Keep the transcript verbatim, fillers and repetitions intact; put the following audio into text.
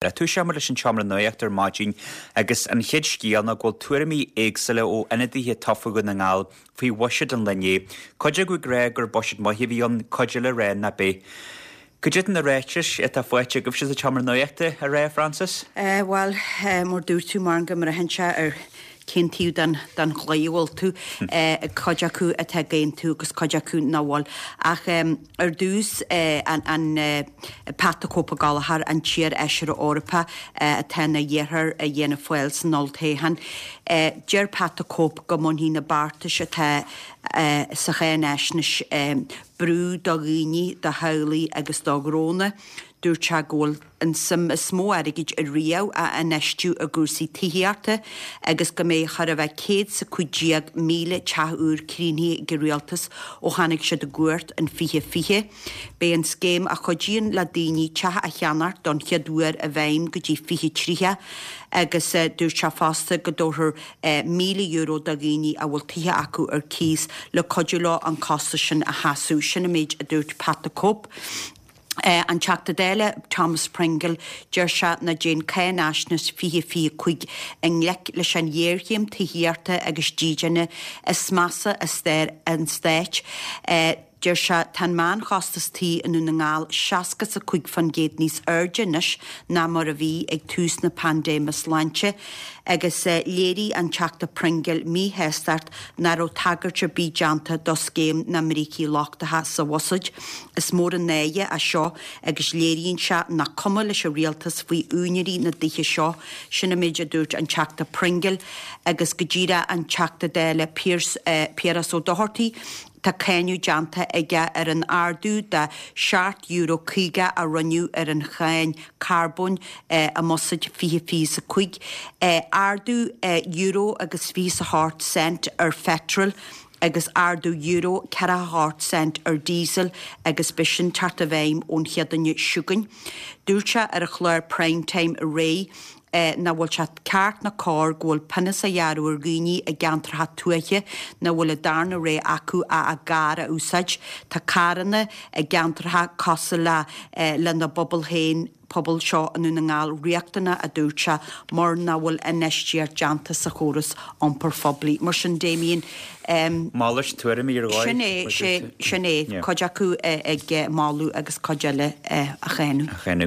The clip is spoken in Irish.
Tosaíonn muid leis an tseomra nuachta ar maidin agus an chéad scéal ná go bhfuil tuairimí éagsúla ó ionadaithe tofa Dhún na nGall faoi bhuiséad an lae inné. Cuid acu ag rá gur buiséad maith a bhí ann, cuid eile ag rá nach b'ea. Cad iad na ráitis atá faighte agaibhse sa tseomra nuachta a rá, Francis? Bhuel, mar dúirt tú mar go mbraitheann sé ar cén taobh den den chlaí a bhfuil tú, cuid acu atá ag aontú agus cuid acu nach bhfuil. Ach ar dtús an an Pat the Cope Gallagher, an t-iarfheisire Eorpach atá ina dheartháir i bhFianna Fáil san olltoghchán. Deir Pat the Cope go mbainfidh na beartais atá sa cháinaisnéis brú do dhaoine, do theaghlaigh agus do ghnónna. Dúirt sé go bhfuil an suim is mó airgid ariamh á infheistiú i gcúrsaí tithíochta agus go mbeidh chóir a bheith céad is a cúig déag míle teach úr críochnaithe ag an rialtas ó tháinig siad i gcumhacht in fiche fiche. Beidh an scéim a chuidíonn le daoine teach a cheannacht don chéad uair i bhfeidhm go dtí fiche tríocha agus dúirt sé fosta go dtabharfar míle euro do dhaoine a bhfuil tithe acu ar cíos le cuidiú leo an costas sin a sheasamh. Sin an méid a dúirt Pat the Cope. An Teachta Dála Thomas Pringle, deir sé nach dtéann cáinaisnéis fiche fiche cúig i ngleic leis an ghéarchéim tithíochta agus dídine is measa i stair an stáit. Deir sé tá an meánchostas tí i nDún na nGall seasca is a cúig faoin gcéad níos airde anois ná mar a bhí ag tús na paindéime sláinte agus léirigh an Teachta Pringle míshástacht nach raibh tagairt ar bith déanta do scéim na mbrící lochtacha sa bhuiséad. Is mór an náire é seo agus léiríonn sé nach cuma leis an rialtas faoi úinéirí na dtithe seo, sin an méid a dúirt an Teachta Pringle agus go díreach an Teachta Dála Piaras Ó Dochartaigh. Tá cáineadh déanta aige ar an ardú de seacht euro caoga a rinneadh ar an cháin carbóin i mBuiséad fiche fiche is a cúig, ardú euro agus fiche is a hocht cent ar pheitreal agus ardú euro ceathracha a hocht cent ar diesel agus beidh sin teacht i bhfeidhm ón Chéadaoine seo chugainn. Dúirt sé ar an chlár Prime Time aréir nach bhfuil sé ceart ná cóir go bhfuil pionós á ghearradh ar dhaoine i gceantracha tuaithe nach bhfuil an darna rogha acu ach a gcarr a úsáid. Tá carranna i gceantracha cosúil le lena bpobal féin, pobal seo i nDún na nGall, riachtanach, a dúirt sé, mar nach bhfuil infheistíocht déanta sa chóras iompair phoiblí. Mar sin, Damien, Malairt tuairimí ar dhóigh. Sin é, sin é, cuid acu ag moladh agus cuid eile á cháineadh.